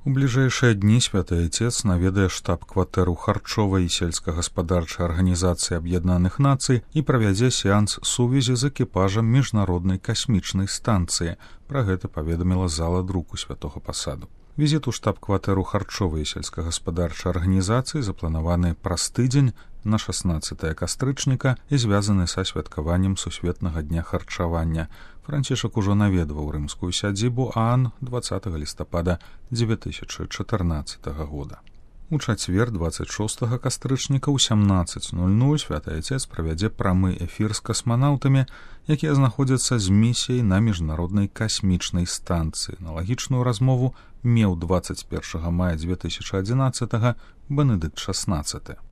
У бліжэйшыя дні святы Отец наведае штаб-кватэру харчовай і сельскагаспадарчай арганізацыі Аб'яднаных Нацый і правядзе сеанс сувязі з экіпажам міжнароднай касмічнай станцыі. Пра гэта паведаміла зала друку святога пасаду. Візіт у штаб-кватэру харчовай і сельскагаспадарчай арганізацыі запланаваны праз тыдзень на 16 кастрычніка і звязаны са святкаваннем Сусветнага дня харчавання. Францішак ужо наведваў рымскую сядзібу Аан 20 лістапада 2014 года. У чацвер 26 кастрычніка ў 17:00 святы Отец правядзе прамы эфір з касманаўтамі, якія знаходзяцца з місіяй на міжнароднай касмічнай станцыі. Аналагічную размову меў 21 мая 2011 Бенедыкт XVI.